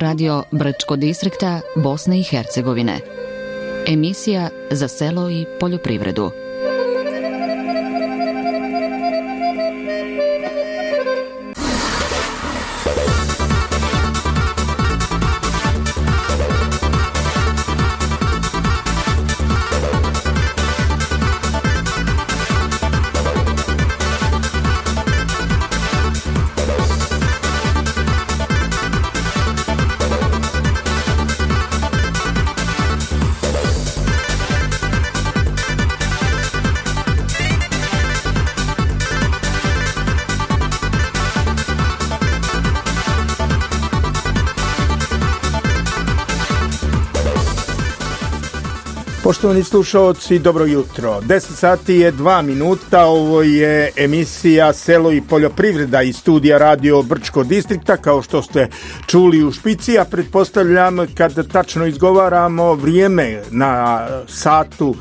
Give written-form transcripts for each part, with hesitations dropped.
radio Brčko distrikta Bosne i Hercegovine. Emisija za selo i poljoprivredu. Poštovani slušaoci, dobro jutro. 10 sati je 2 minuta, ovo je emisija Selo i poljoprivreda iz studija radio Brčko distrikta, kao što ste čuli u špici, a pretpostavljam kad tačno izgovaramo vrijeme na satu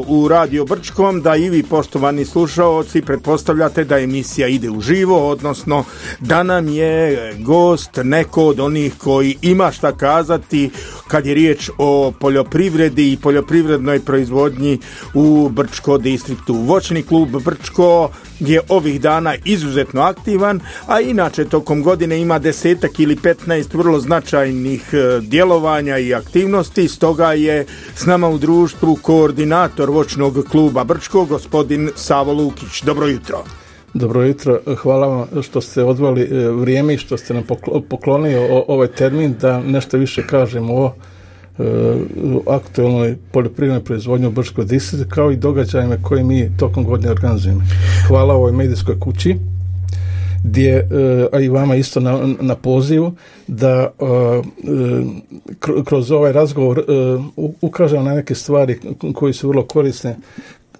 u Radio Brčkom, da i vi, poštovani slušaoci, pretpostavljate da emisija ide uživo, odnosno da nam je gost neko od onih koji ima šta kazati kad je riječ o poljoprivredi i poljoprivrednoj proizvodnji u Brčko distriktu. Voćni klub Brčko je ovih dana izuzetno aktivan, a inače tokom godine ima 10 ili 15 vrlo značajnih djelovanja i aktivnosti, stoga je s nama u društvu koordinator voćnog kluba Brčko, gospodin Savo Lukić. Dobro jutro. Dobro jutro, hvala vam što ste odvali vrijeme i što ste nam poklonili ovaj termin da nešto više kažemo o aktualnoj poljoprivrednoj proizvodnji u Brčkoj distriktu, kao i događajima koje mi tokom godine organizujemo. Hvala ovoj medijskoj kući, gdje, a i vama isto na pozivu, da kroz ovaj razgovor ukažem na neke stvari koje su vrlo korisne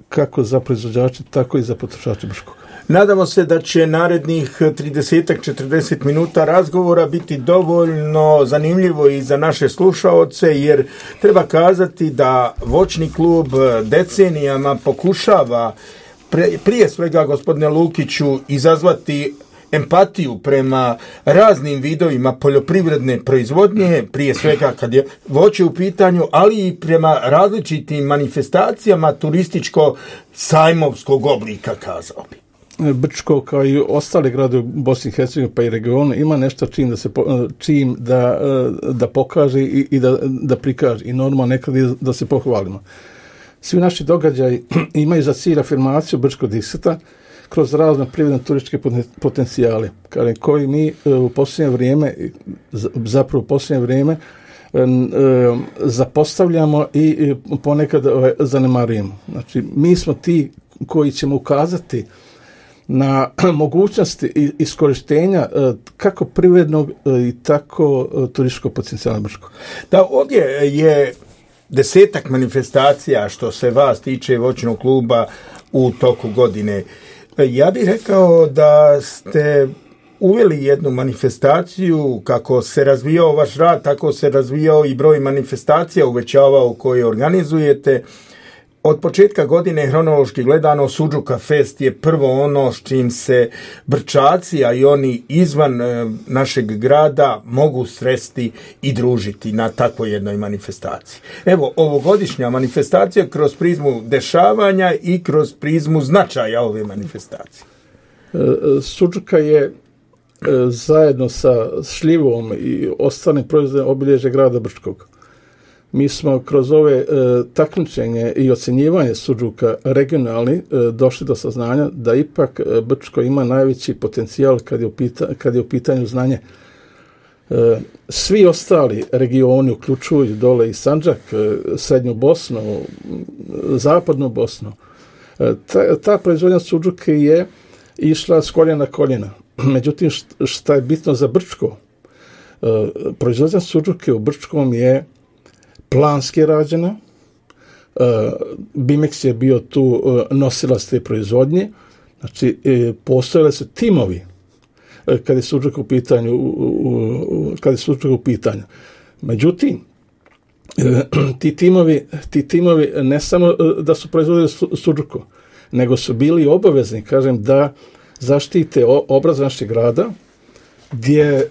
kako za proizvođače, tako i za potrošače Brčkog. Nadamo se da će narednih 30-40 minuta razgovora biti dovoljno zanimljivo i za naše slušaoce, jer treba kazati da voćni klub decenijama pokušava prije svega, gospodine Lukiću, izazvati empatiju prema raznim vidovima poljoprivredne proizvodnje, prije svega kad je voće u pitanju, ali i prema različitim manifestacijama turističko-sajmovskog oblika, kazao bi. Brčko, kao i ostale grade u Bosni i Hercegovini pa i regionu, ima nešto čim da pokaže i da prikaže, i normalno nekad da se pohvalimo. Svi naši događaji imaju za cilj afirmaciju Brčkog distrikta kroz razne privredne turističke potencijale, koji mi u posljednje vrijeme zapostavljamo i ponekad zanemarujemo. Znači, mi smo ti koji ćemo ukazati na mogućnosti iskorištenja kako privrednog i tako turističkog potencijala Brčkog. Da, ovdje je 10 manifestacija što se vas tiče voćnog kluba u toku godine. Ja bih rekao da ste uveli jednu manifestaciju, kako se razvijao vaš rad, tako se razvijao i broj manifestacija uvećavao koje organizujete. Od početka godine, hronološki gledano, Suđuka Fest je prvo ono s čim se Brčaci, a i oni izvan našeg grada mogu sresti i družiti na takvoj jednoj manifestaciji. Evo, ovogodišnja manifestacija kroz prizmu dešavanja i kroz prizmu značaja ove manifestacije. Suđuka je zajedno sa šljivom i ostalim proizvodima obilježje grada Brčkog. Mi smo kroz ove takmičenje i ocjenjivanje suđuka regionalni došli do saznanja da ipak Brčko ima najveći potencijal kad je u pitanju znanje. Svi ostali regioni, uključujući dole i Sandžak, Srednju Bosnu, Zapadnu Bosnu, ta proizvodnja suđuke je išla s koljena na koljena. Međutim, šta je bitno za Brčko? Proizvodnja suđuke u Brčkom je planski rađena. Bimex je bio tu nosilac te proizvodnje. Znači, postojali su timovi kad je suđuk u pitanju. Međutim, ti timovi ne samo da su proizvodili suđuku, nego su bili obavezni, kažem, da zaštite obraz našeg grada, gdje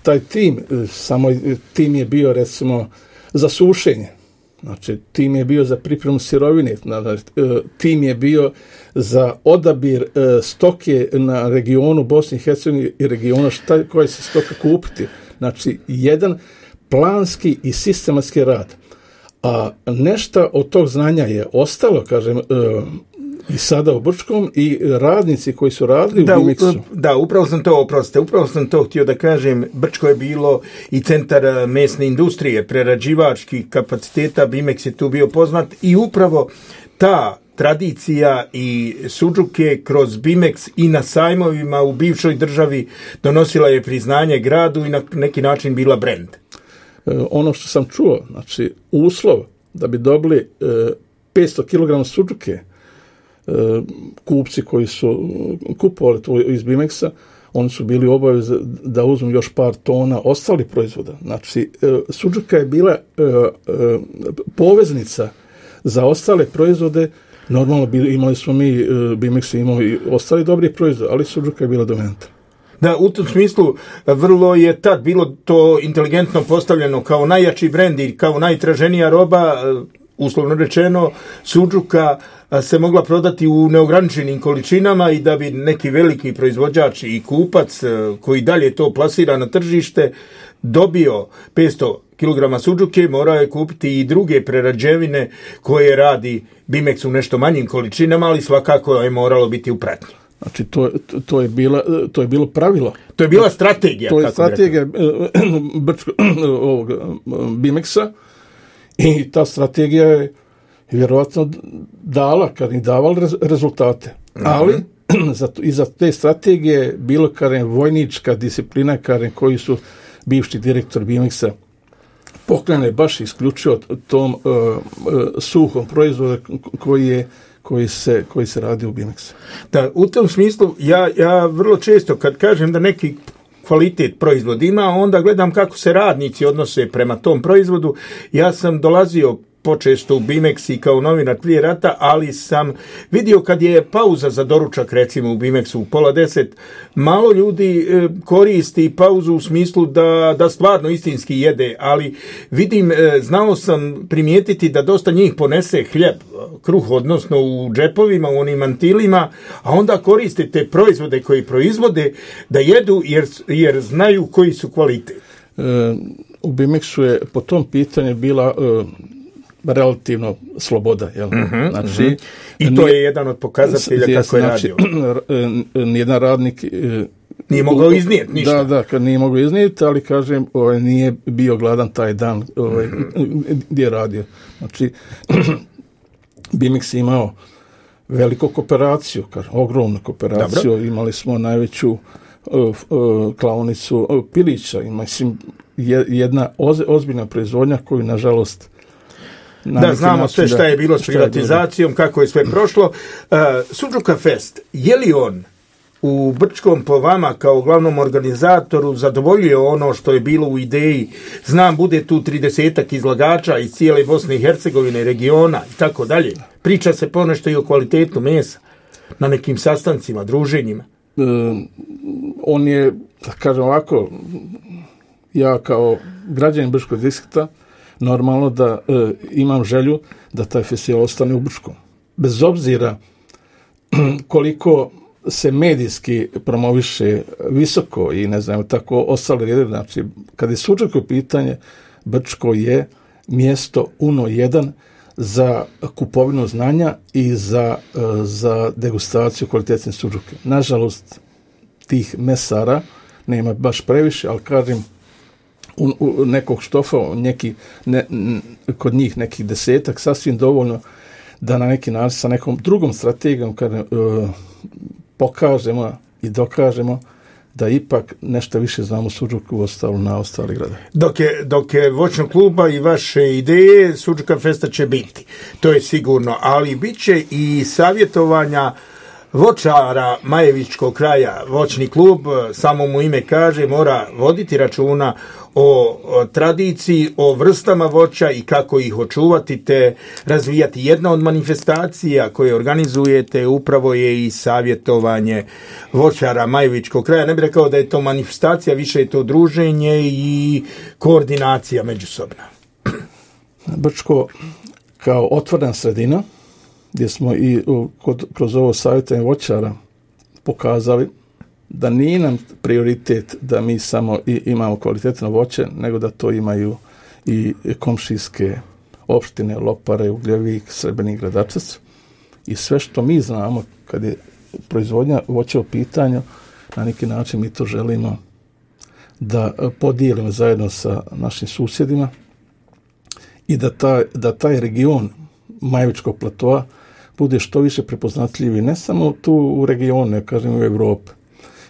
taj tim, samo tim je bio recimo za sušenje, znači tim je bio za pripremu sirovine, tim je bio za odabir stoke na regionu Bosne i Hercegovine i regiona koja se stoka kupiti. Znači, jedan planski i sistematski rad. A nešto od tog znanja je ostalo, kažem, i sada u Brčkom i radnici koji su radili u Bimexu. Da, upravo sam to htio da kažem. Brčko je bilo i centar mesne industrije, prerađivačkih kapaciteta, Bimex je tu bio poznat i upravo ta tradicija i sudžuke kroz Bimex i na sajmovima u bivšoj državi donosila je priznanje gradu i na neki način bila brend. Ono što sam čuo, znači uslov da bi dobili 500 kg sudžuke, kupci koji su kupovali to iz Bimexa, oni su bili obavezni da uzmu još par tona ostalih proizvoda. Znači, sudžuka je bila poveznica za ostale proizvode. Normalno imali smo mi, Bimex imao i ostali dobri proizvodi, ali sudžuka je bila dominanta. Da, u tom smislu vrlo je tad bilo to inteligentno postavljeno kao najjači brend i kao najtraženija roba, uslovno rečeno, sudžuka se mogla prodati u neograničenim količinama i da bi neki veliki proizvođač i kupac koji dalje to plasira na tržište dobio 500 kg sudžuke, morao je kupiti i druge prerađevine koje radi Bimex u nešto manjim količinama, ali svakako je moralo biti u pratnji. Znači, to je bilo pravilo. To je bila strategija. To je strategija Bimexa i ta strategija je vjerovatno davala rezultate. Ali iza te strategije bilo vojnička disciplina koji su bivši direktor Bimexa pokrene baš isključio tom suhom proizvodu koji se radi u Bimexu. Da, u tom smislu ja vrlo često kad kažem da neki kvalitet proizvod ima, onda gledam kako se radnici odnose prema tom proizvodu. Ja sam dolazio počesto u Bimex i kao novinar prije rata, ali sam vidio kad je pauza za doručak, recimo u Bimexu u 9:30, malo ljudi koristi pauzu u smislu da stvarno istinski jede, ali vidim, znao sam primijetiti da dosta njih ponese hljeb, kruh, odnosno u džepovima, u onim mantilima, a onda koriste te proizvode koji proizvode da jedu jer znaju koji su kvalitet. U Bimexu je po tom pitanju bila relativno sloboda. Jel? Znači, i to je jedan od pokazatelja kako je radio. Nijedan radnik nije mogao iznijeti ništa. Da, kad nije mogao iznijeti, ali kažem, nije bio gladan taj dan gdje je radio. Znači, Bimex imao veliku kooperaciju, ogromnu kooperaciju. Dobro. Imali smo najveću klaonicu pilića. Mislim, jedna ozbiljna proizvodnja koju, nažalost, da, znamo sve šta je bilo s privatizacijom, kako je sve prošlo. Sudžuka Fest, je li on u Brčkom po vama kao glavnom organizatoru zadovoljio ono što je bilo u ideji? Znam, bude tu 30 izlagača iz cijele Bosne i Hercegovine, regiona i tako dalje. Priča se ponešto i o kvalitetu mesa na nekim sastancima, druženjima. On je, da kažem ovako, ja kao građanin Brčkog distrikta normalno da imam želju da taj festival ostane u Brčkom. Bez obzira koliko se medijski promoviše visoko i ne znam, tako ostale rede, znači kad je sudžuka pitanje, Brčko je mjesto uno jedan za kupovinu znanja i za degustaciju kvalitetne sudžuke. Nažalost, tih mesara nema baš previše, ali kažem, u nekog štofa, kod njih nekih 10, sasvim dovoljno da na neki način sa nekom drugom strategijom pokažemo i dokažemo da ipak nešto više znamo sudžuku na ostali grade. Dok je voćnog kluba i vaše ideje, Sudžuka Festa će biti. To je sigurno, ali bit će i savjetovanja voćara Majevičkog kraja. Voćni klub, samo mu ime kaže, mora voditi računa o tradiciji, o vrstama voća i kako ih očuvati te razvijati. Jedna od manifestacija koje organizujete upravo je i savjetovanje voćara Majevičkog kraja. Ne bih rekao da je to manifestacija, više je to druženje i koordinacija međusobna. Brčko kao otvorena sredina, gdje smo i kroz ovo savjetovanje voćara pokazali da nije nam prioritet da mi samo imamo kvalitetno voće, nego da to imaju i komšijske opštine, Lopare, Ugljevik, Srebrnik, Gradačac. I sve što mi znamo kad je proizvodnja voća u pitanju, na neki način mi to želimo da podijelimo zajedno sa našim susjedima i da taj region Majevičkog platoa bude što više prepoznatljivi, ne samo tu u regionu, ne kažem u Evropi.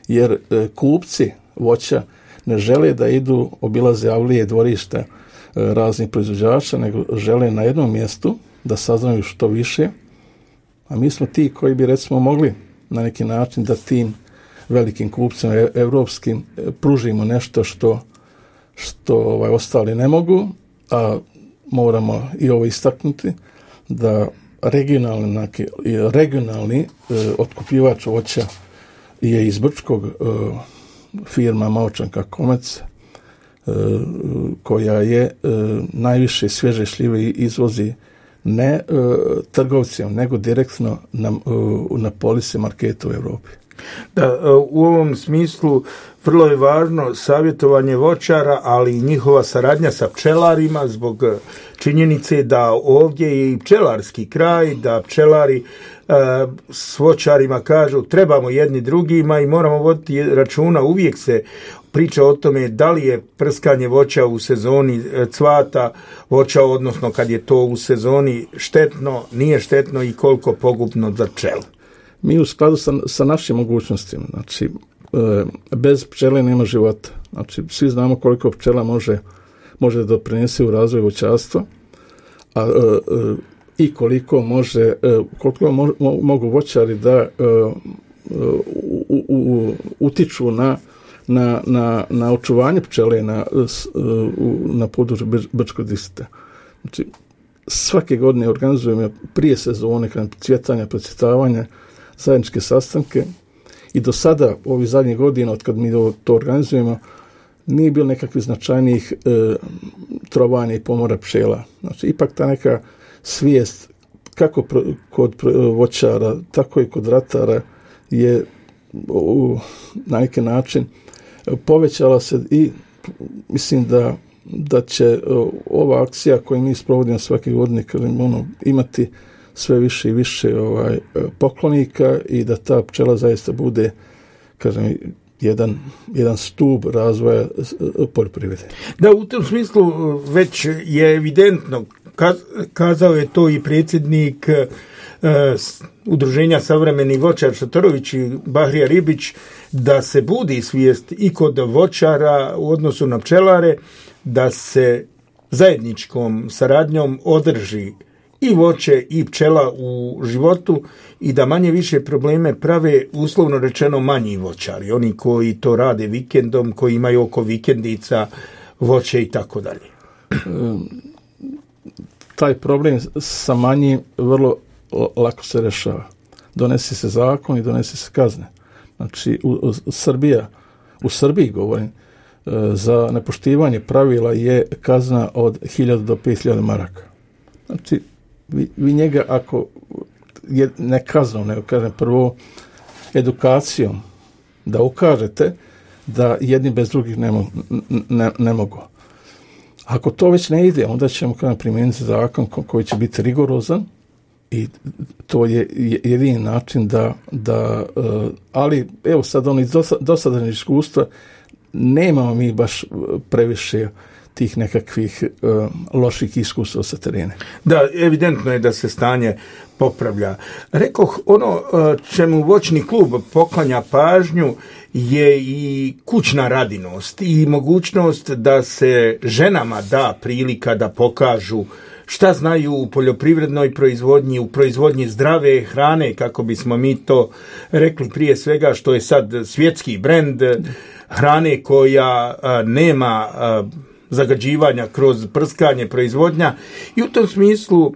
Jer kupci voća ne žele da idu obilaze avlije, dvorišta raznih proizvođača, nego žele na jednom mjestu da saznaju što više, a mi smo ti koji bi recimo mogli na neki način da tim velikim kupcima evropskim pružimo nešto što ostali ne mogu, a moramo i ovo istaknuti da regionalni otkupljivač voća je iz Brčkog firma Maočanka Komec, koja je najviše svježe šljive izvozi ne trgovcima, nego direktno na polise marketa u Europi. Da, u ovom smislu vrlo je važno savjetovanje voćara, ali i njihova saradnja sa pčelarima zbog činjenice da ovdje je i pčelarski kraj, da pčelari s voćarima kažu trebamo jedni drugima i moramo voditi računa. Uvijek se priča o tome da li je prskanje voća u sezoni cvata voća, odnosno kad je to u sezoni štetno, nije štetno i koliko pogubno za pčelu. Mi u skladu sa našim mogućnostima, znači bez pčele nema života. Znači svi znamo koliko pčela može doprinesti u razvoju voćarstva, i koliko mogu voćari da utiču na očuvanje pčele na području Brčkog distrikta. Znači svake godine organizujemo prije sezone cvjetanja, procvjetavanja, zajedničke sastanke i do sada, ovih zadnjih godina, od kad mi to organizujemo, nije bilo nekakvih značajnijih trovanja i pomora pčela. Znači, ipak ta neka svijest, kako kod voćara, tako i kod ratara, je na neki način povećala se i mislim da će ova akcija koju mi sprovodimo svake godine imati sve više i više poklonika i da ta pčela zaista bude, kažem, jedan stup razvoja poljoprivrede. Da, u tom smislu već je evidentno, kazao je to i predsjednik Udruženja savremenih voćar Šatorović i Bahrija Ribić, da se budi svijest i kod voćara u odnosu na pčelare, da se zajedničkom saradnjom održi i voće i pčela u životu i da manje više probleme prave, uslovno rečeno, manji voćari. Oni koji to rade vikendom, koji imaju oko vikendica voće i tako dalje. Taj problem sa manjim vrlo lako se rešava. Donese se zakon i donese se kazne. Znači, u Srbiji govorim, za nepoštivanje pravila je kazna od 1000 do 5000 maraka. Znači, vi njega, ako je ne kaznom, nego kažem prvo edukacijom, da ukažete da jedni bez drugih ne mogu. Ako to već ne ide, onda ćemo primijeniti zakon koji će biti rigorozan i to je jedini način ali evo sad iz dosadašnjeg iskustva nemamo mi baš previše tih nekakvih loših iskustava sa terena. Da, evidentno je da se stanje popravlja. Rekoh, ono čemu voćni klub poklanja pažnju je i kućna radinost i mogućnost da se ženama da prilika da pokažu šta znaju u poljoprivrednoj proizvodnji, u proizvodnji zdrave hrane, kako bismo mi to rekli, prije svega što je sad svjetski brend hrane koja nema zagađivanja kroz prskanje, proizvodnja, i u tom smislu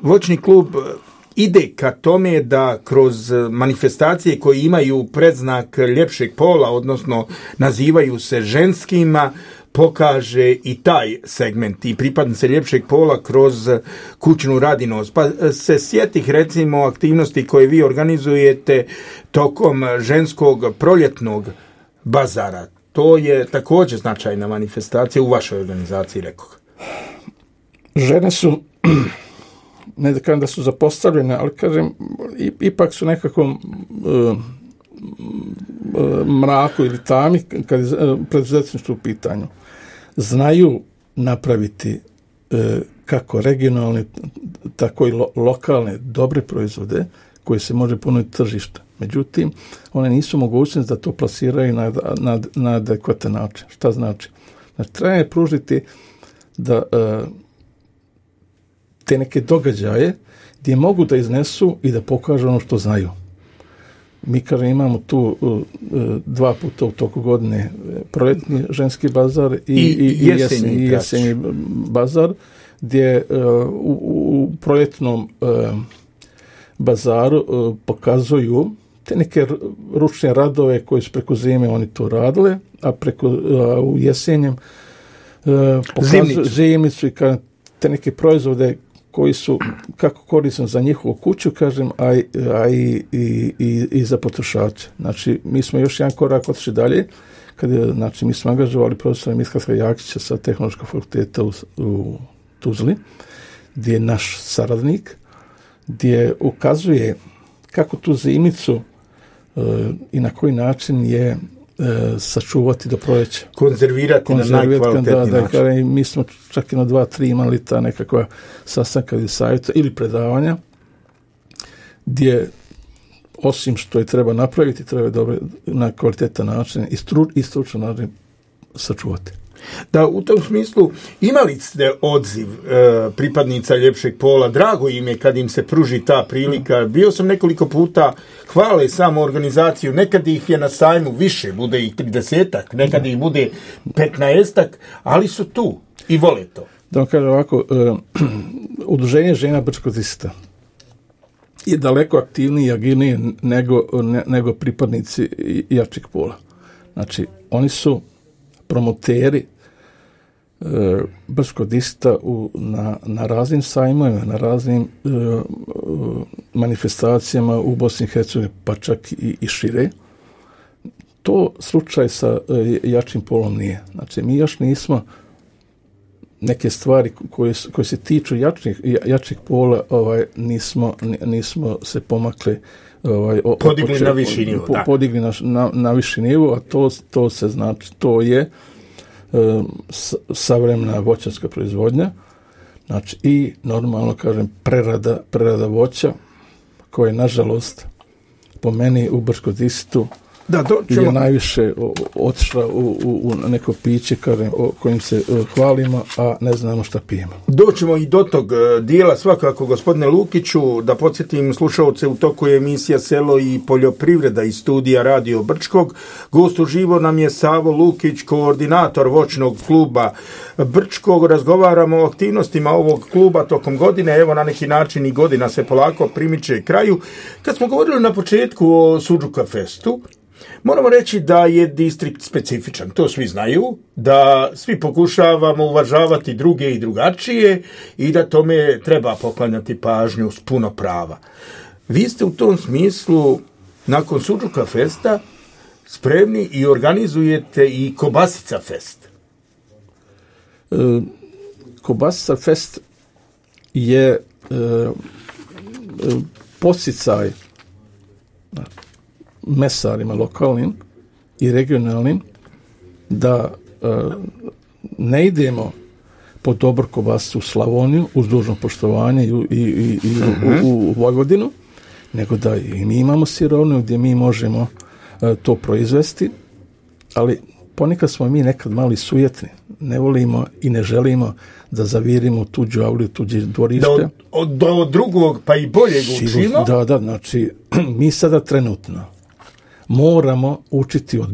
voćni klub ide ka tome da kroz manifestacije koje imaju predznak ljepšeg pola, odnosno nazivaju se ženskima, pokaže i taj segment i pripadnice ljepšeg pola kroz kućnu radinost. Pa se sjetih recimo aktivnosti koje vi organizujete tokom ženskog proljetnog bazara. To je također značajna manifestacija u vašoj organizaciji, rekoh. Žene su, ne da kažem da su zapostavljene, ali kažem, ipak su nekako mraku ili tami kad je preduzetništvo u pitanju. Znaju napraviti kako regionalne, tako i lokalne dobre proizvode koje se može ponuditi tržišta. Međutim, one nisu mogućnosti da to plasiraju na adekvatan način. Šta znači? Znači, treba je pružiti da te neke događaje gdje mogu da iznesu i da pokažu ono što znaju. Mi, kažem, imamo tu 2 puta u toku godine proljetni ženski bazar i jesenji bazar, gdje u proljetnom bazaru pokazuju te neke ručne radove koje su preko zime oni to radile, a u jesenjem pokazuju zimnicu i te neke proizvode koji su kako korisni za njihovu kuću, kažem, a i za potrošače. Znači, mi smo još jedan korak otišli dalje, znači, mi smo angažovali profesora Mitka Jakića sa Tehnološkog fakulteta u Tuzli, gdje je naš saradnik, gdje ukazuje kako tu zimnicu i na koji način je sačuvati do proljeća. Konzervirati na najkvalitetniji način. Mi smo čak i na 2-3 imali ta nekakva sastanka ili savjeta ili predavanja gdje osim što je treba napraviti, treba dobro na kvalitetan način i stručan način sačuvati. Da, u tom smislu imali ste odziv pripadnica ljepšeg pola, drago im je kad im se pruži ta prilika. Bio sam nekoliko puta, hvale samo organizaciju, nekad ih je na sajmu više, bude ih 30-ak, nekad ih bude 15-ak, ali su tu i vole to. Da vam kažem ovako, Udruženje žena Brčkog distrikta je daleko aktivniji i agilniji nego pripadnici jačeg pola. Znači, oni su promoteri Brčkog distrikta na raznim sajmovima, na raznim manifestacijama u Bosni i Hercegovini, pa čak i šire. To slučaj sa jačim polom nije. Znači, mi još nismo neke stvari koje se tiču jačih pola, nismo se pomakli podigli na viši nivo. Podigli na viši nivo, a to se znači, to je savremena voćarska proizvodnja, znači i normalno, kažem, prerada voća, koja je, nažalost, po meni u Brčkom distriktu je najviše otišla u neko piće, kažem, o kojim se hvalimo, a ne znamo šta pijemo. Doćemo i do tog dijela svakako, gospodine Lukiću, da podsjetim slušalce, u toku je emisija Selo i poljoprivreda iz studija Radio Brčkog. Gost uživo nam je Savo Lukić, koordinator voćnog kluba Brčkog. Razgovaramo o aktivnostima ovog kluba tokom godine. Evo, na neki način i godina se polako primiče kraju. Kad smo govorili na početku o Sudžuka festu, moramo reći da je distrikt specifičan, to svi znaju, da svi pokušavamo uvažavati druge i drugačije i da tome treba poklanjati pažnju s puno prava. Vi ste u tom smislu, nakon Sudžuka festa, spremni i organizujete i Kobasica fest. Kobasica fest je podsticaj mesarima lokalnim i regionalnim da ne idemo po dobru kobasicu u Slavoniju uz dužno poštovanje i u Vojvodinu, nego da i mi imamo sirovinu gdje mi možemo to proizvesti, ali ponekad smo mi nekad mali sujetni. ne volimo i ne želimo da zavirimo tuđu avliju, tuđe dvorište. Do drugog pa i boljeg učimo. Da, znači mi sada trenutno moramo učiti od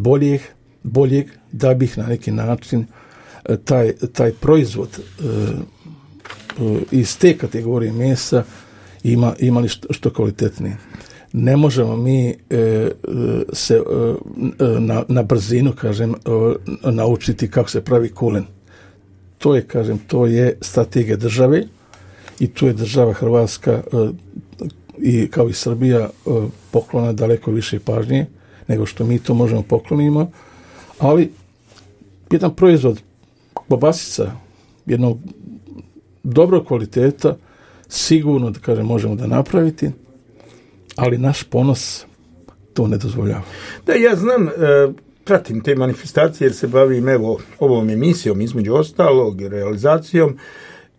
boljeg da bih na neki način taj proizvod iz te kategorije mesa imali što kvalitetnije. Ne možemo mi se na brzinu, kažem, naučiti kako se pravi kulen. To je strategija države i tu je država Hrvatska i kao i Srbija poklona daleko više pažnje nego što mi to možemo poklonimo, ali jedan proizvod kobasica jednog dobrog kvaliteta sigurno, da kažem, možemo da napraviti, ali naš ponos to ne dozvoljava. Da, ja znam, pratim te manifestacije jer se bavim ovom emisijom, između ostalog, realizacijom.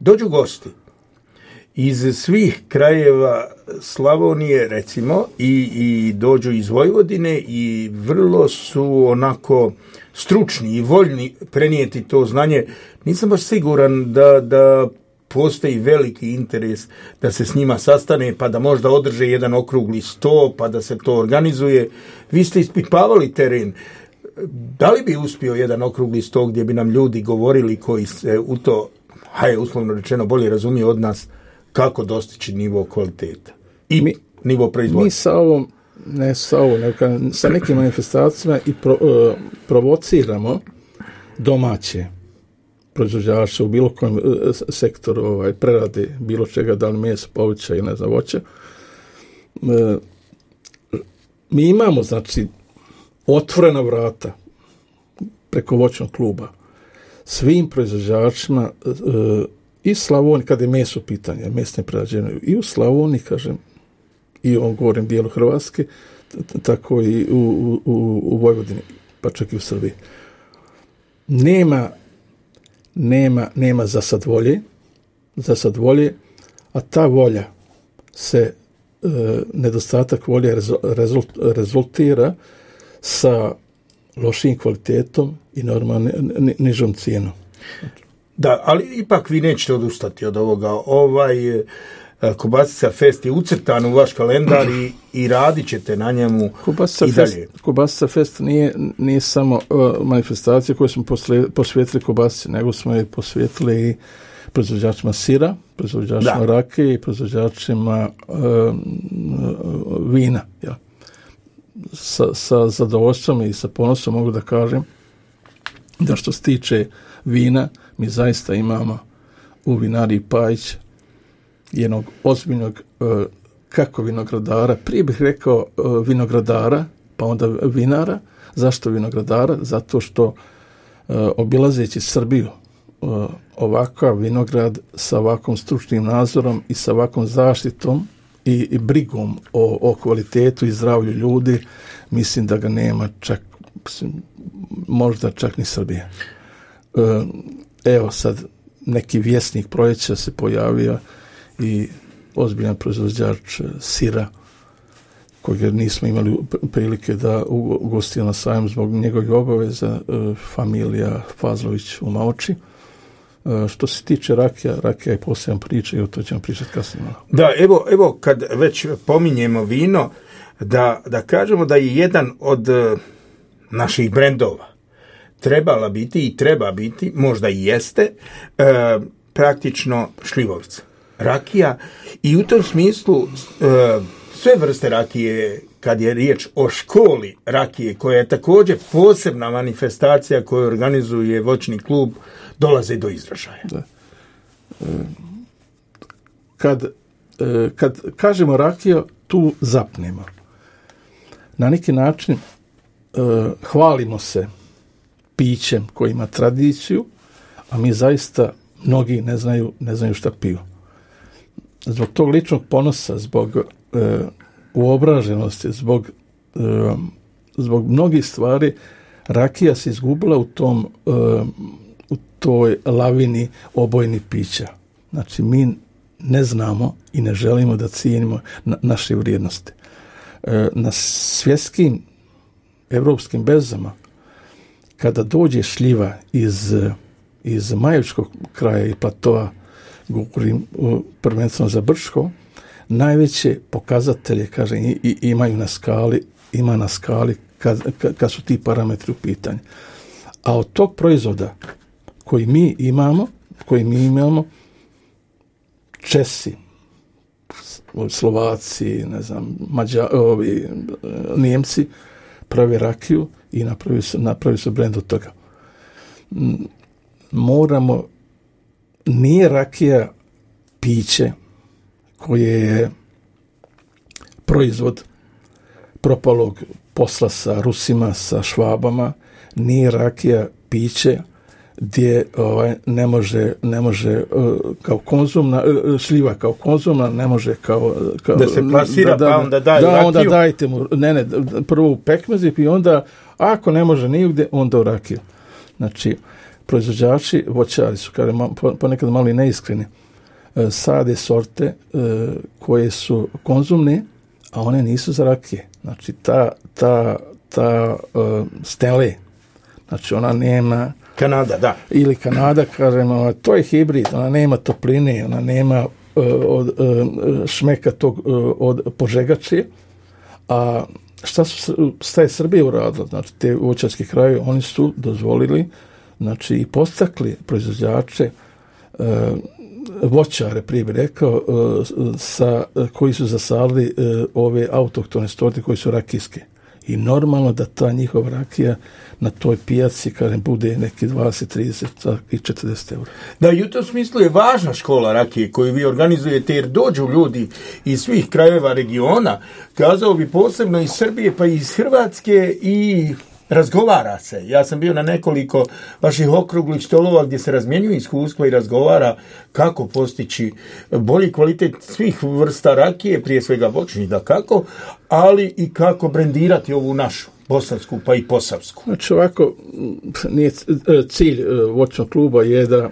Dođu gosti iz svih krajeva Slavonije, recimo, i dođu iz Vojvodine i vrlo su onako stručni i voljni prenijeti to znanje. Nisam baš siguran da postoji veliki interes da se s njima sastane, pa da možda održe jedan okrugli sto, pa da se to organizuje. Vi ste ispipavali teren. Da li bi uspio jedan okrugli sto gdje bi nam ljudi govorili koji se u to, uslovno rečeno, bolje razumije od nas, kako dostići nivo kvaliteta i nivo proizvoda? Mi sa nekim manifestacijama i provociramo domaće proizvođače u bilo kojem sektoru prerade bilo čega, da li meso, povrća ili ne znam, voća. Mi imamo, znači, otvorena vrata preko voćnog kluba svim proizvođačima i Slavoniji, kada je meso pitanje, mesne prerađevine, i u Slavoniji, kažem, i u ovom govorim dijelu Hrvatske, tako i u Vojvodini, pa čak i u Srbiji. Nema za sad volje, a ta volja se, nedostatak volje rezultira sa lošim kvalitetom i normalno nižom cijenom. Da, ali ipak vi nećete odustati od ovoga. Kobasica Fest je ucrtan u vaš kalendar i radit ćete na njemu i dalje. Kobasica Fest nije samo manifestacija koju smo posvetili kobasici, nego smo je posvetili i proizvođačima sira, proizvođačima rakije i proizvođačima vina. Ja. Sa zadovoljstvom i sa ponosom mogu da kažem da što se tiče vina, mi zaista imamo u vinariji Pajić jednog ozbiljnog kako vinogradara, prije bih rekao vinogradara, pa onda vinara. Zašto vinogradara? Zato što obilazeći Srbiju ovakav vinograd sa ovakvom stručnim nadzorom i sa ovakvom zaštitom i brigom o kvalitetu i zdravlju ljudi, mislim da ga nema čak, možda čak ni Srbija. Evo sad neki vjesnik proljeća se pojavio i ozbiljan proizvođač sira kojeg nismo imali prilike da ugostimo na sajmu zbog njegovih obaveza, familija Fazlović u Maoči. Što se tiče rakija je poseban priča i o to ćemo pričati kasnije. Da, evo kad već pominjemo vino, da kažemo da je jedan od naših brendova trebala biti i treba biti, možda i jeste, praktično šljivovica. Rakija i u tom smislu sve vrste rakije, kad je riječ o školi rakije, koja je također posebna manifestacija koju organizuje voćni klub, dolaze do izražaja. Da. Kad kažemo rakija, tu zapnemo. Na neki način hvalimo se pićem koji ima tradiciju, a mi zaista mnogi ne znaju šta piju. Zbog tog ličnog ponosa, zbog uobraženosti, zbog mnogih stvari, rakija se izgubila u toj lavini obojnih pića. Znači, mi ne znamo i ne želimo da cijenimo naše vrijednosti. Na svjetskim evropskim berzama, kada dođe šljiva iz iz Majevičkog kraja i platoa, govorim prvenstveno za Brčko, najveće pokazatelje, kažem, imaju na skali kad su ti parametri u pitanju. A od tog proizvoda koji mi imamo, Česi, Slovaci, ne znam, Nijemci prave rakiju i napravi su brend od toga. Nije rakija piće koje je proizvod propalog posla sa Rusima, sa Švabama, nije rakija piće gdje ne može kao konzumna, šljiva kao konzumna, ne može kao da se plasira, pa onda daj rakiju. Onda dajte mu, prvo u pekmezi i onda, ako ne može nigdje, onda u rakiju. Znači, proizvođači, voćari su, ponekad malo i neiskreni, sade sorte koje su konzumne, a one nisu za rakije. Znači, ta Stanley, znači ona nema Kanada, da. Ili Kanada, kažemo, to je hibrid, ona nema topline, ona nema šmeka tog od požegače, a šta je Srbija uradila? Znači, te voćarski krajevi, oni su dozvolili, znači, i postakli proizvođače, voćare, prije bih rekao, koji su zasadili ove autohtone sorte koji su rakijske. I normalno da ta njihova rakija na toj pijaci, kažem, bude neki 20, 30 i 40 eura. Da, i u tom smislu je važna škola rakije koju vi organizujete, jer dođu ljudi iz svih krajeva regiona, kazao bi posebno iz Srbije pa i iz Hrvatske, i razgovara se. Ja sam bio na nekoliko vaših okruglih stolova gdje se razmjenjuju iskustva i razgovara kako postići bolji kvalitet svih vrsta rakije, prije svega voćnih, da kako, ali i kako brendirati ovu našu bosansku pa i posavsku. Znači ovako, cilj voćnog kluba je da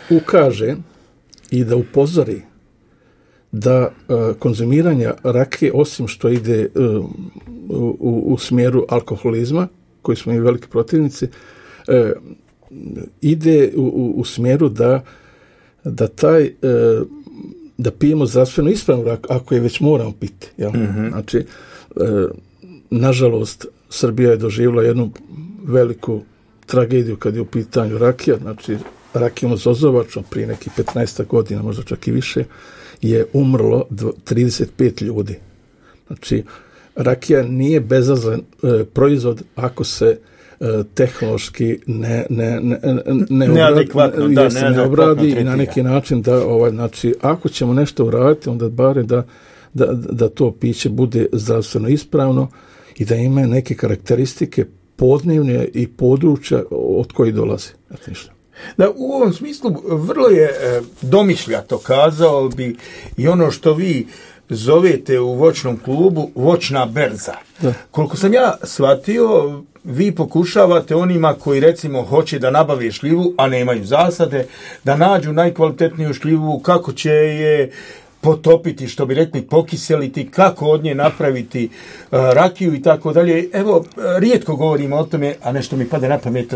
ukaže i da upozori da konzumiranje rakije, osim što ide u smjeru alkoholizma, koji smo i veliki protivnici, ide u smjeru da pijemo zdravstveno ispravnu ako je već moramo piti. Jel? Mm-hmm. Znači, nažalost, Srbija je doživjela jednu veliku tragediju kad je u pitanju rakija. Znači, rakijom zozovačom prije nekih 15 godina, možda čak i više, je umrlo 35 ljudi. Znači, rakija nije bezazlen proizvod ako se tehnološki ne obradi i na neki način znači, ako ćemo nešto uraditi, onda bare da to piće bude zdravstveno ispravno i da ima neke karakteristike podnevne i područja od kojih dolazi. Da, u ovom smislu vrlo je domišljato, kazao bi, i ono što vi zovete u voćnom klubu voćna berza. Da. Koliko sam ja shvatio, vi pokušavate onima koji recimo hoće da nabave šljivu, a nemaju zasade, da nađu najkvalitetniju šljivu, kako će je potopiti, što bi rekli, pokiseliti, kako od nje napraviti rakiju i tako dalje. Evo, rijetko govorimo o tome, a nešto mi pada na pamet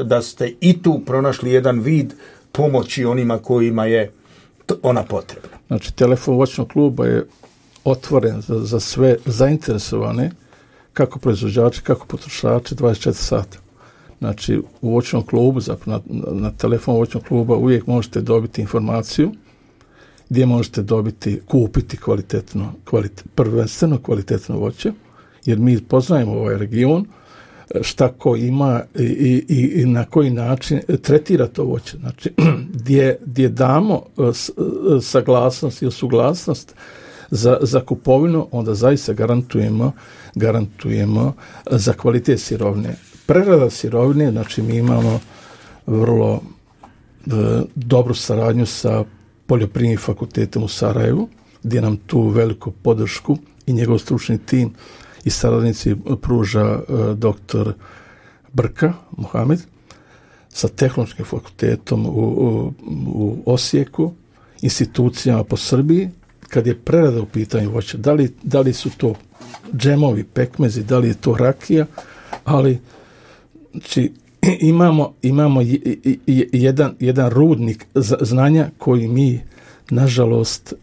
da ste i tu pronašli jedan vid pomoći onima kojima je ona potrebna. Znači, telefon voćnog kluba je otvoren za sve zainteresovane, kako proizvođači, kako potrošači, 24 sata. Znači, u voćnom klubu, zapravo na telefon voćnog kluba uvijek možete dobiti informaciju gdje možete kupiti prvenstveno kvalitetno voće, jer mi poznajemo ovaj region, šta ko ima i na koji način tretira to voće. Znači, gdje damo saglasnost ili suglasnost za kupovinu, onda zaista garantujemo za kvalitet sirovine. Prerada sirovine, znači mi imamo vrlo dobru saradnju sa Poljoprivrednim fakultetom u Sarajevu, gdje nam tu veliku podršku i njegov stručni tim i saradnici pruža doktor Brka Mohamed, sa Tehnološkim fakultetom u Osijeku, institucijama po Srbiji, kad je prerada u pitanju voća, da li su to džemovi, pekmezi, da li je to rakija, ali znači, imamo jedan rudnik znanja koji mi, nažalost,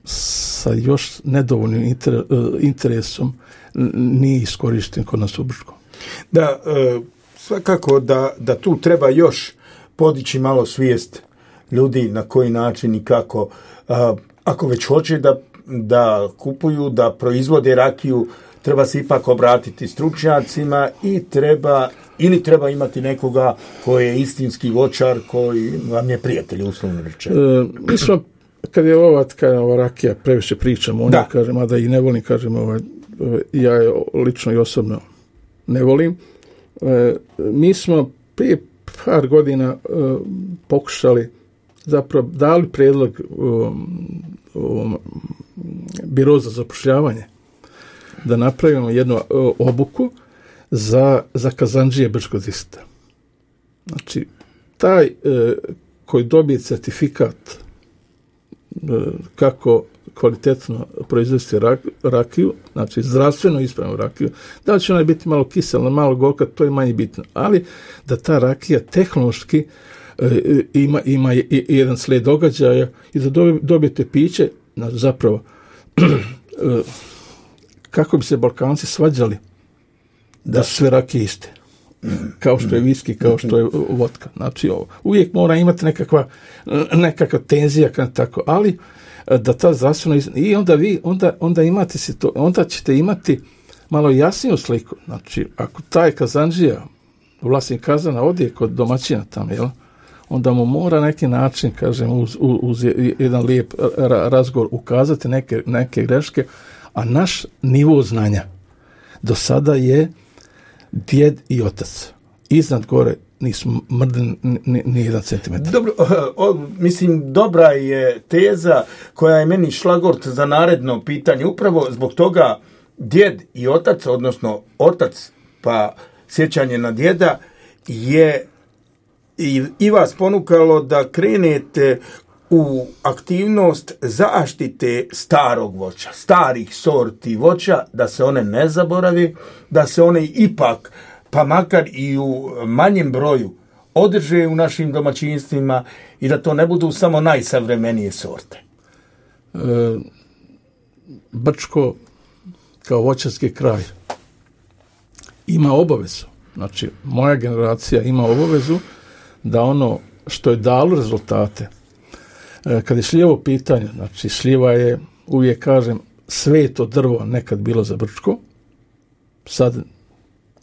sa još nedovoljnim interesom nije iskorišten kod nas u Brčkom. Da, svakako da tu treba još podići malo svijest ljudi na koji način i kako. Ako već hoće da kupuju, da proizvode rakiju, treba se ipak obratiti stručnjacima i treba imati nekoga koji je istinski voćar, koji vam je prijatelj, uslovno rečeno. Mi smo, kad je ova rakija, previše pričamo o njoj, kažem, a da i ne volim, kažem, ja je lično i osobno ne volim. Mi smo prije par godina pokušali, zapravo dali prijedlog Biro za zapošljavanje da napravimo jednu obuku za kazandžije Brčkog distrikta. Znači, taj koji dobije certifikat kako kvalitetno proizvesti rakiju, znači zdravstveno ispravnu rakiju, da li će ona biti malo kiselna, malo gorka, to je manje bitno, ali da ta rakija tehnološki ima jedan slijed događaja i da dobijete piće, zapravo kako bi se Balkanci svađali da su sve rakije iste. Kao što je viski, kao što je vodka. Znači, uvijek mora imati nekakva tenzija, tako, ali da ta zdravstvena i onda imate onda ćete imati malo jasniju sliku. Znači, ako taj kazandžija, vlasnik kazana, odje kod domaćina tamo, jel? Onda mu mora neki način, kažem, uz jedan lijep razgovor ukazati neke greške, a naš nivo znanja do sada je djed i otac. Iznad gore nismo mrdili ni jedan centimetar. Dobro, mislim, dobra je teza koja je meni šlagort za naredno pitanje. Upravo zbog toga djed i otac, odnosno otac pa sjećanje na djeda, je i vas ponukalo da krenete u aktivnost zaštite starog voća, starih sorti voća, da se one ne zaboravi, da se one ipak, pa makar i u manjem broju, održe u našim domaćinstvima i da to ne budu samo najsavremenije sorte. Brčko kao voćarski kraj ima obavezu, znači moja generacija ima obavezu da ono što je dalo rezultate, kad je šljivo pitanje, znači šljiva je, uvijek kažem, sveto drvo nekad bilo za Brčko, sad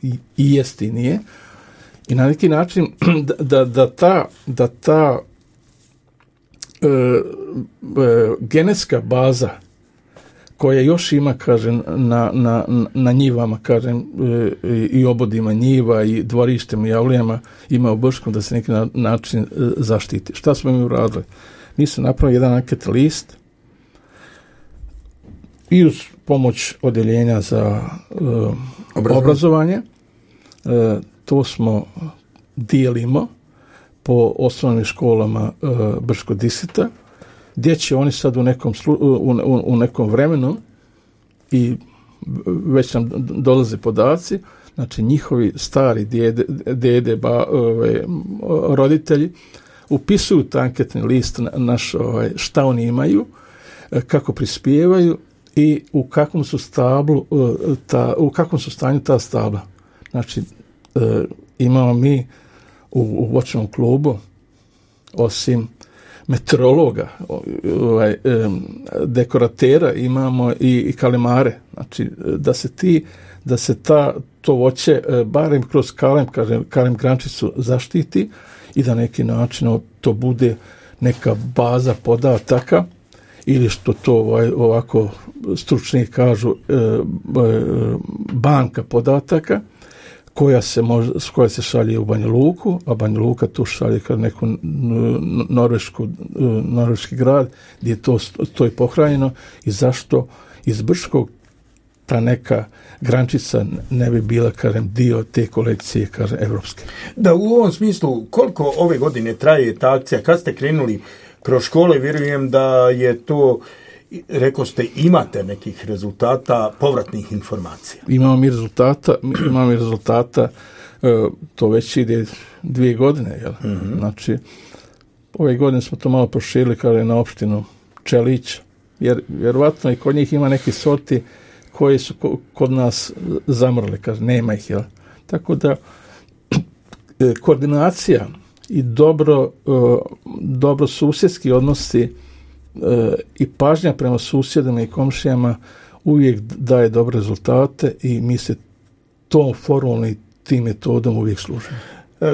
i jest i nije, i na neki način da ta genetska baza koja još ima, kažem, na njivama, kažem, i obodima njiva i dvorištima i javlijama ima u Brčkom, da se neki način zaštiti. Šta smo mi uradili? Mi smo napravili jedan anket list i uz pomoć odjeljenja za obrazovanje. To smo dijelimo po osnovnim školama Brčkog distrikta, gdje će oni sad u nekom vremenu, i već nam dolaze podaci, znači njihovi stari dede roditelji upisuju taj anketni list naš, šta oni imaju, kako prispijevaju i u kakvom su stanju ta stabla. Znači, imamo mi u voćnom klubu, osim meteorologa, dekoratera, imamo i kalemare. Znači, da se to voće, barem kroz kalem grančicu zaštiti i da neki način to bude neka baza podataka, ili što to ovako stručni kažu banka podataka, koja se šalje u Banja Luku, a Banja Luka tu šalje kao neku norveški grad gdje je to je pohranjeno, i zašto iz Brčkog ta neka grančica ne bi bila, kažem, dio te kolekcije, kažem, evropske. Da, u ovom smislu, koliko ove godine traje ta akcija? Kad ste krenuli kroz škole, vjerujem da je to rekao ste, imate nekih rezultata, povratnih informacija? Imamo mi rezultata, to već ide 2 godine, jel? Mm-hmm. Znači, ove godine smo to malo proširili kada je na opštinu Čelić, jer vjerovatno i kod njih ima neki sorti koji su kod nas zamrli, kaže, nema ih, jel? Tako da, koordinacija i dobro susjedski odnosi i pažnja prema susjedima i komšijama uvijek daje dobre rezultate i mi se tom formulom i tim metodom uvijek služimo.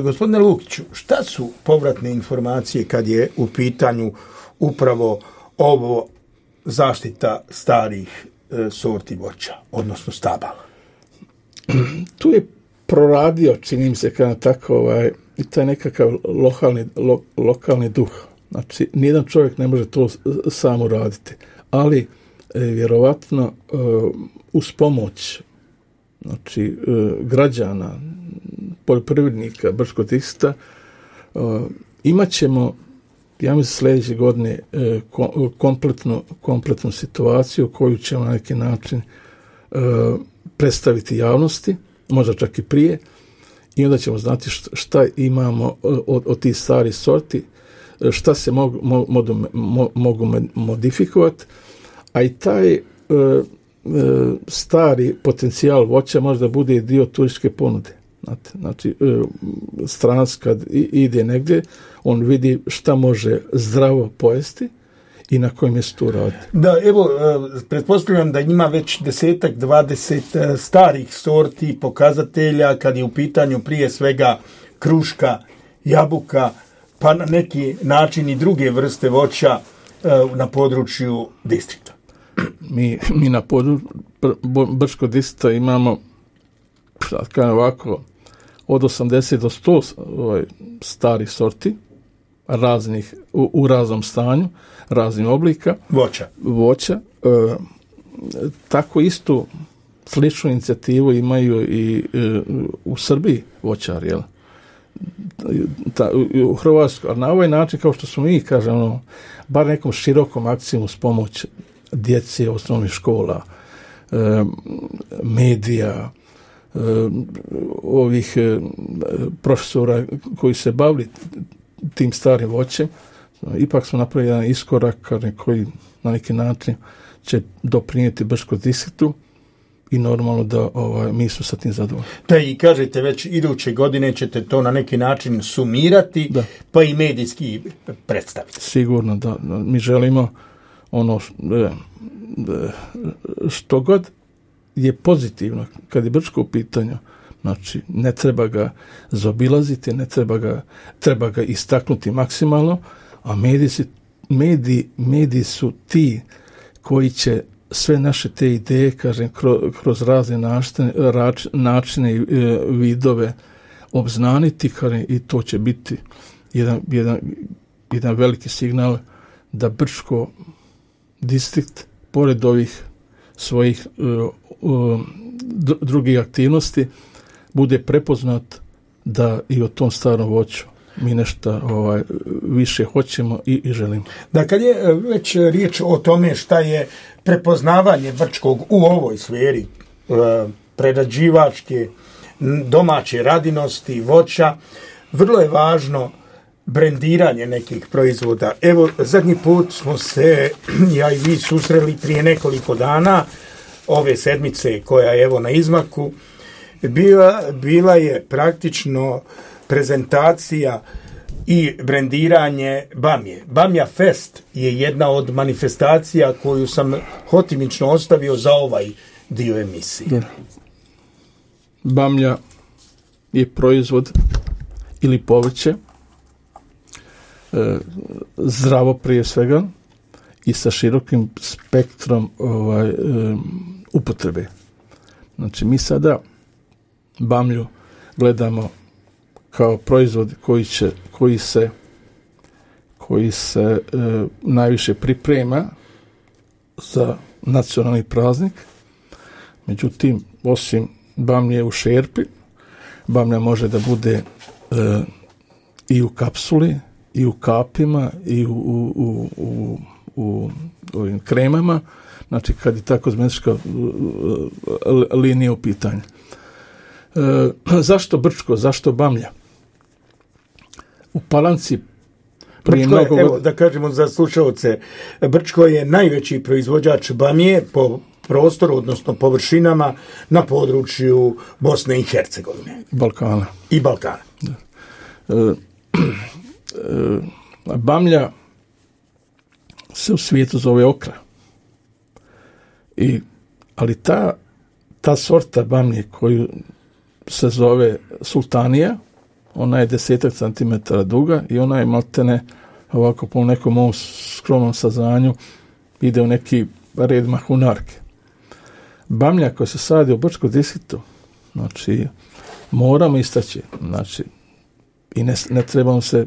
Gospodine Lukiću, šta su povratne informacije kad je u pitanju upravo ovo zaštita starih sorti voća, odnosno stabala? Tu je proradio, čini mi se, kada tako, i taj nekakav lokalni duh. Znači, nijedan čovjek ne može to sam uraditi, ali vjerovatno uz pomoć, znači, građana, poljoprivrednika Brčkog distrikta, imat ćemo, ja mislim, sljedeće godine kompletnu situaciju koju ćemo na neki način predstaviti javnosti, možda čak i prije, i onda ćemo znati šta imamo od tih starih sorti, šta se mogu modifikovati, a i taj stari potencijal voća možda bude dio turističke ponude. Znači, stranac kad ide negdje, on vidi šta može zdravo pojesti i na kojem mjestu radi. Da, evo, pretpostavljam da ima već 10-20 starih sorti, pokazatelja, kad je u pitanju prije svega kruška, jabuka, pa na neki način i druge vrste voća na području distrikta. Mi na području Brčkog distrikta imamo, ovako, od 80 do 100 starih sorti, raznih, u raznom stanju, raznih oblika. Voća. Tako istu sličnu inicijativu imaju i u Srbiji voćari, jel? U Hrvatskoj, a na ovaj način, kao što smo mi, kažemo, bar nekom širokom akcijom uz pomoć djece osnovnih škola, medija, ovih profesora koji se bavili tim starim voćem, ipak smo napravili jedan iskorak koji na neki način će doprinijeti Brčkom distriktu i normalno da mi smo sa tim zadovoljni. Da, i kažete već iduće godine ćete to na neki način sumirati, da, pa i medijski predstaviti. Sigurno, da. Mi želimo ono što god je pozitivno kad je Brčko u pitanju, znači ne treba ga zaobilaziti, treba ga istaknuti maksimalno, a mediji su ti koji će sve naše te ideje, kažem, kroz razne načine i vidove obznaniti, i to će biti jedan veliki signal da Brčko distrikt, pored ovih svojih drugih aktivnosti, bude prepoznat da i o tom starom voću mi nešto više hoćemo i želimo. Da, kad je već riječ o tome šta je prepoznavanje Brčkog u ovoj sferi prerađivačke domaće radinosti voća, vrlo je važno brendiranje nekih proizvoda. Evo, zadnji put smo se, ja i vi, susreli prije nekoliko dana, ove sedmice koja je evo na izmaku, bila je praktično prezentacija i brendiranje Bamje. Bamja Fest je jedna od manifestacija koju sam hotimično ostavio za ovaj dio emisije. Da. Bamlja je proizvod ili povrće, zdravo prije svega i sa širokim spektrom upotrebe. Znači, mi sada bamlju gledamo kao proizvod koji se najviše priprema za nacionalni praznik. Međutim, osim bamlje u šerpi, bamlja može da bude i u kapsuli, i u kapima, i u ovim kremama, znači kad je ta kozmetička linija u pitanju. Zašto Brčko, zašto Bamlja? U Palanci Brčko da kažemo za slušalce, Brčko je najveći proizvođač bamije po prostoru, odnosno površinama na području Bosne i Hercegovine. Balkana. I Balkana. Da. Bamlja se u svijetu zove okra. Ali ta sorta bamlje koju se zove sultanija, ona je 10 centimetara duga i ona je maltene ovako po nekom ovom skromnom saznanju ide u neki red mahunarke. Bamlja koja se sadi u Brčkom distriktu, znači moramo istaći, znači i ne trebamo se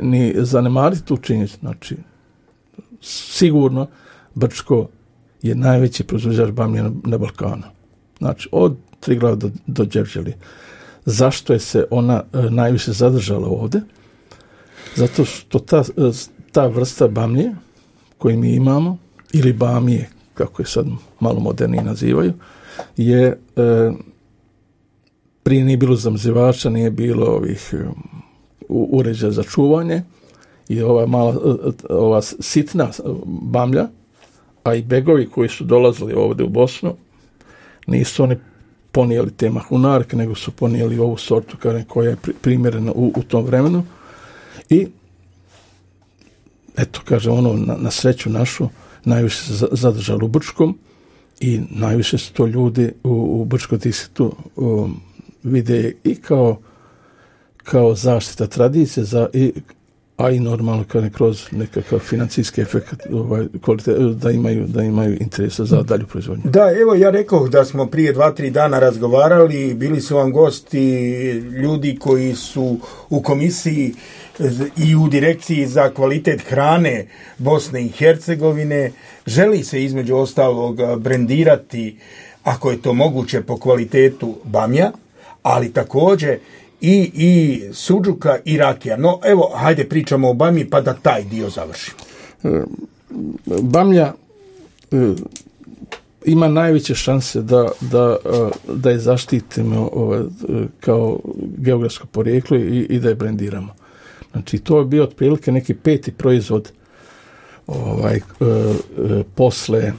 ni zanemariti tu činjenicu, znači sigurno Brčko je najveći proizvođač bamlje na Balkanu. Znači od Triglava do Đevđeli. Zašto je se ona najviše zadržala ovdje? Zato što ta vrsta bamlje koju mi imamo, ili bamije, kako je sad malo modernije nazivaju, je prije nije bilo zamrzivača, nije bilo ovih uređaja za čuvanje i ova sitna bamlja, a i begovi koji su dolazili ovdje u Bosnu, nisu oni ponijeli te mahunarke, nego su ponijeli ovu sortu koja je primjerena u tom vremenu. I eto, kažem, na sreću našu najviše se zadržalo u Brčkom i najviše su to ljudi u Brčkom distriktu vide i kao zaštita tradicije, a i normalno kroz nekakav financijski efekt da imaju interesa za dalju proizvodnju. Da, evo ja rekao da smo prije 2-3 dana razgovarali, bili su vam gosti ljudi koji su u komisiji i u direkciji za kvalitet hrane Bosne i Hercegovine. Želi se između ostalog brendirati, ako je to moguće, po kvalitetu bamja, ali također i suđuka i rakija. No, evo, hajde pričamo o bamji pa da taj dio završimo. Bamlja ima najveće šanse da je zaštitimo kao geografsko porijeklo i da je brendiramo. Znači, to je bio otprilike neki 5. proizvod posle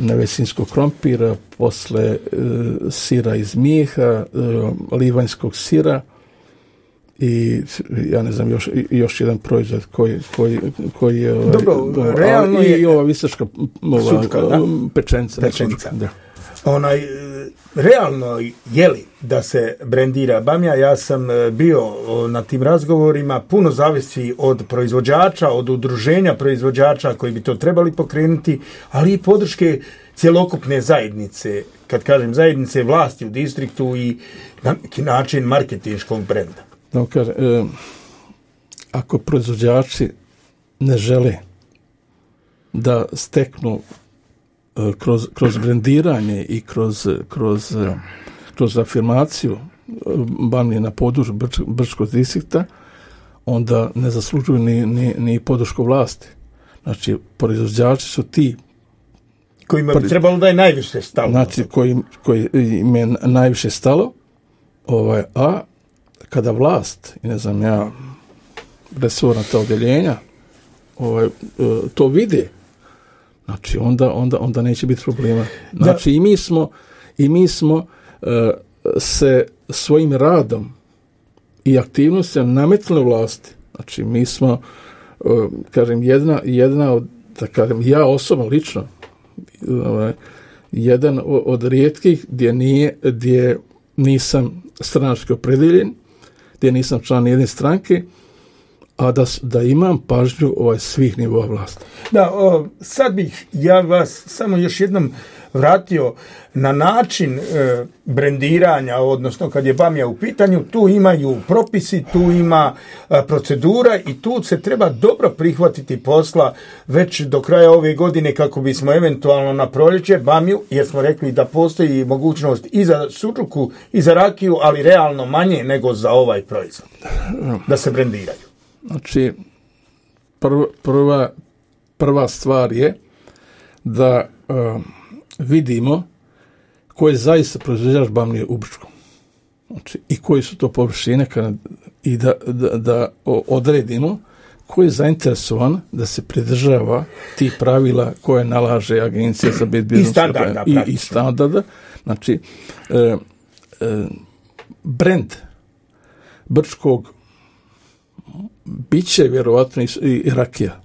nevesinskog krompira, posle sira iz mijeha, livanjskog sira i ja ne znam još jedan proizvod koji je realno je i ova visaška pečenica. Da. Realno je li da se brendira bamja? Ja sam bio na tim razgovorima, puno zavisi od proizvođača, od udruženja proizvođača koji bi to trebali pokrenuti, ali i podrške cjelokupne zajednice, kad kažem zajednice, vlasti u distriktu i na neki način marketinškog brenda. Ako proizvođači ne žele da steknu kroz brendiranje i kroz afirmaciju bamlje na području Brčkog distrikta, onda ne zaslužuju ni podršku vlasti. Znači, proizvođači su ti kojima bi trebalo da je najviše stalo. Znači, koji im je najviše stalo, a kada vlast, i ne znam ja, resorna ta odjeljenja, to vide, znači onda neće biti problema. Znači i mi smo se svojim radom i aktivnostima nametnuli vlasti. Znači mi smo, kažem, jedna od, da kažem, ja osobno lično, jedan od rijetkih gdje nisam stranački opredeljen, gdje nisam član jedne stranke, a da imam pažnju svih nivoa vlasti. Da, sad bih ja vas samo još jednom vratio na način brendiranja, odnosno kad je bamja u pitanju, tu imaju propisi, tu ima procedura i tu se treba dobro prihvatiti posla već do kraja ove godine kako bismo eventualno na proljeće bamju, jer smo rekli da postoji mogućnost i za suđuku i za rakiju, ali realno manje nego za ovaj proizvod, da se brendiraju. Znači, prva stvar je da vidimo ko je zaista proizvođač bamlije u Brčkom. Znači, i koji su to površine i da odredimo ko je zainteresovan da se pridržava tih pravila koje nalaže Agencija za bezbjednost i standarda. Znači, brend Brčkog bit će vjerovatno i rakija.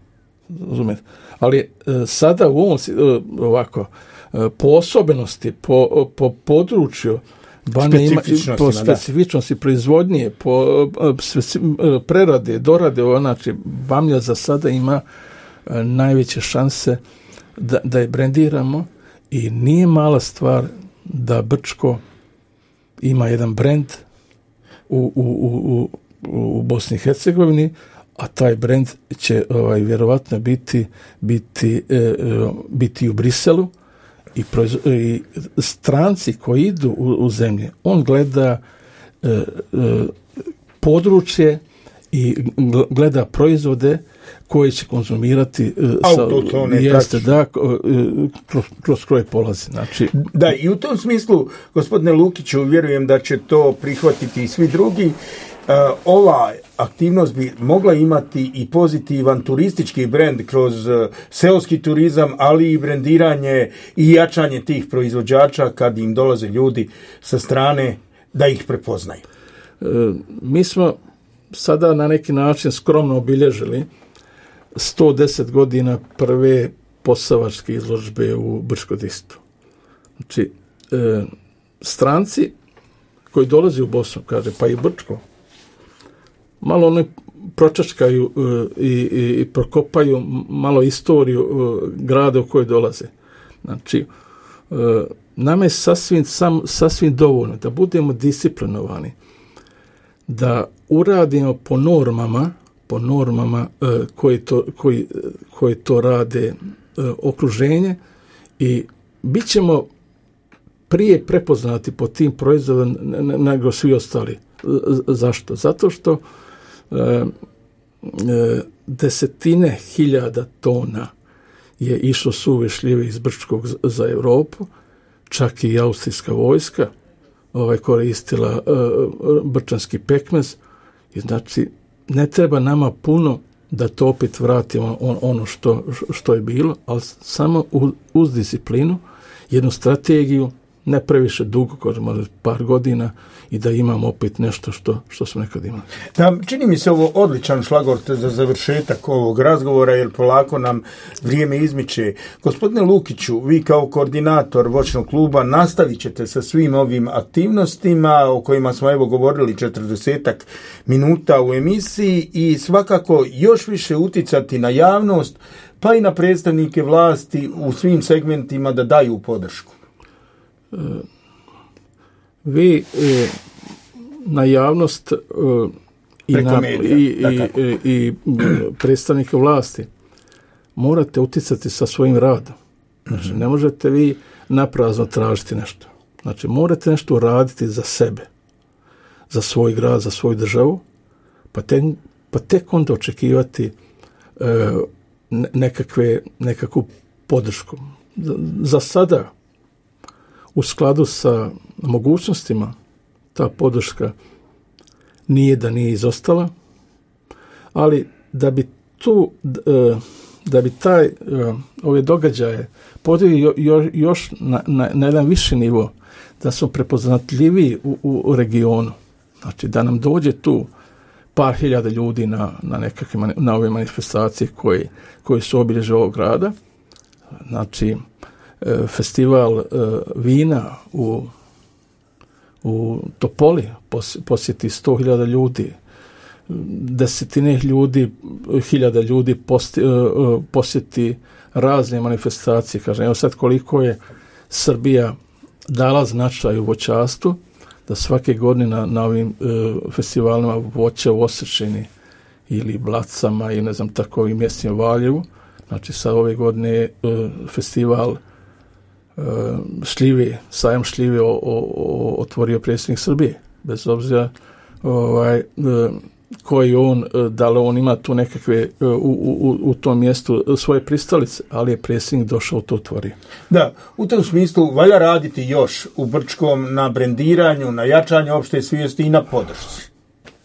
Razumijete? Ali sada u ovom ovako po osobenosti, po području po specifičnosti proizvodnje, po prerade, dorade, znači bamlja za sada ima najveće šanse da je brendiramo i nije mala stvar da Brčko ima jedan brend u Bosni i Hercegovini, a taj brend će vjerovatno biti u Briselu i stranci koji idu u zemlje, on gleda područje i gleda proizvode koje će konzumirati kroz koje polazi. Znači, da, i u tom smislu, gospodine Lukiću, vjerujem da će to prihvatiti i svi drugi. Ova aktivnost bi mogla imati i pozitivan turistički brend kroz seoski turizam, ali i brendiranje i jačanje tih proizvođača kad im dolaze ljudi sa strane da ih prepoznaju. Mi smo sada na neki način skromno obilježili 110 godina prve posavačke izložbe u Brčko-Distritu. Znači, stranci koji dolaze u Bosnu, kaže, pa i Brčko, malo oni pročačkaju i prokopaju malo istoriju grada u kojoj dolaze. Znači, nama je sasvim dovoljno da budemo disciplinovani, da uradimo po normama koje to rade okruženje i bit ćemo prije prepoznati po tim proizvodima nego svi ostali. Zašto? Zato što desetine hiljada tona je išlo suve šljive iz Brčkog za Europu, čak i austrijska vojska koristila brčanski pekmez i znači ne treba nama puno da to opet vratimo ono što je bilo, ali samo uz disciplinu, jednu strategiju, ne previše dugo, možda par godina, i da imamo opet nešto što smo nekad imali. Da, čini mi se ovo odličan šlagvort za završetak ovog razgovora, jer polako nam vrijeme izmiče. Gospodine Lukiću, vi kao koordinator voćnog kluba nastavit ćete sa svim ovim aktivnostima o kojima smo evo govorili 40 minuta u emisiji i svakako još više uticati na javnost, pa i na predstavnike vlasti u svim segmentima da daju podršku. Vi na javnost i predstavnike vlasti morate utjecati sa svojim radom. Znači, ne možete vi naprazno tražiti nešto. Znači, morate nešto uraditi za sebe, za svoj grad, za svoju državu, pa tek onda očekivati nekakvu podršku. Za sada, u skladu sa mogućnostima, ta podrška nije izostala, ali da bi ove događaje podigli još na jedan viši nivo, da smo prepoznatljiviji u regionu, znači da nam dođe tu par hiljada ljudi na ove manifestacije koje su obilježje ovog grada, znači festival vina u Topoli posjeti 100.000 ljudi, desetine hiljada ljudi posjeti razne manifestacije. Kažem, evo sad koliko je Srbija dala značaj u voćarstvu, da svake godine na ovim festivalima voća u Osečini ili Blacama i ne znam takovim mjestima u Valjevu, znači sad ove godine festival šljive, sajam šljive otvorio predsjednik Srbije. Bez obzira koji on, da li on ima tu nekakve u tom mjestu svoje pristalice, ali je predsjednik došao u to otvorio. Da, u tom smislu valja raditi još u Brčkom na brendiranju, na jačanju opšte svijesti i na podršci.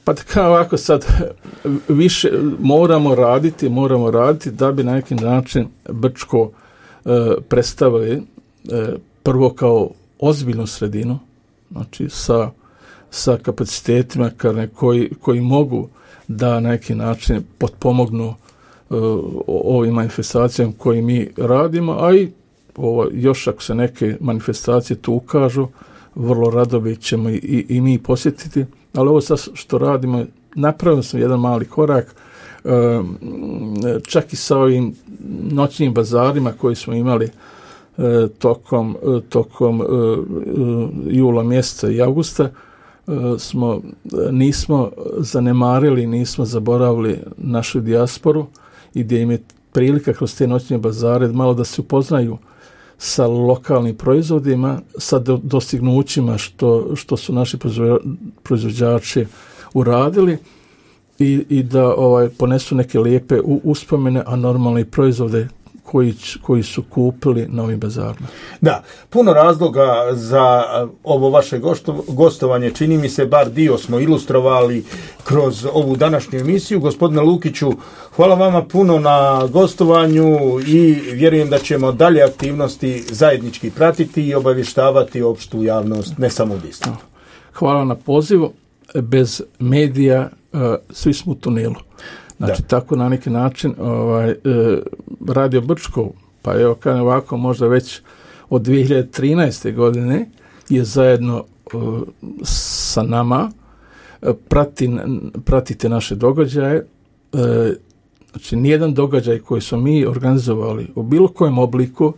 Pa kao ovako sad više moramo raditi da bi na neki način Brčko predstavili prvo kao ozbiljnu sredinu, znači sa kapacitetima koji mogu da na neki način potpomognu ovim manifestacijama koje mi radimo, a i još ako se neke manifestacije tu ukažu, vrlo rado ćemo i mi posjetiti, ali ovo sad što radimo, napravili smo jedan mali korak, čak i sa ovim noćnim bazarima koji smo imali tokom jula mjeseca i avgusta, nismo zanemarili, nismo zaboravili našu dijasporu i gdje im je prilika kroz te noćne bazare malo da se upoznaju sa lokalnim proizvodima, sa dostignućima što su naši proizvođači uradili i da ponesu neke lijepe uspomene, a normalne proizvode koji su kupili na ovim bazarima. Da, puno razloga za ovo vaše gostovanje, čini mi se, bar dio smo ilustrovali kroz ovu današnju emisiju. Gospodine Lukiću, hvala vama puno na gostovanju i vjerujem da ćemo dalje aktivnosti zajednički pratiti i obavještavati opštu javnost, ne samo u distriktu. Hvala na pozivu. Bez medija svi smo u tunelu. Znači, tako na neki način Radio Brčko, pa evo kao ovako možda već od 2013. godine je zajedno sa nama, pratite naše događaje. Znači, nijedan događaj koji smo mi organizovali u bilo kojem obliku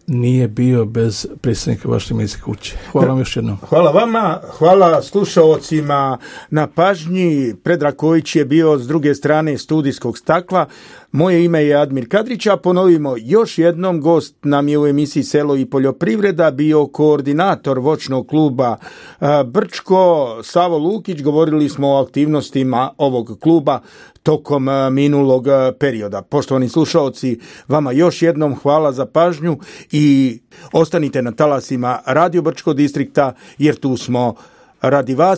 nije bio bez predsjednika vaše medijske kuće. Hvala vam još jednom. Hvala vama, hvala slušaocima na pažnji. Predrag Kojić je bio s druge strane studijskog stakla. Moje ime je Admir Kadrić, a ponovimo još jednom, gost nam je u emisiji Selo i poljoprivreda bio koordinator voćnog kluba Brčko, Savo Lukić. Govorili smo o aktivnostima ovog kluba tokom minulog perioda. Poštovani slušaoci, vama još jednom hvala za pažnju i ostanite na talasima Radio Brčko distrikta, jer tu smo radi vas.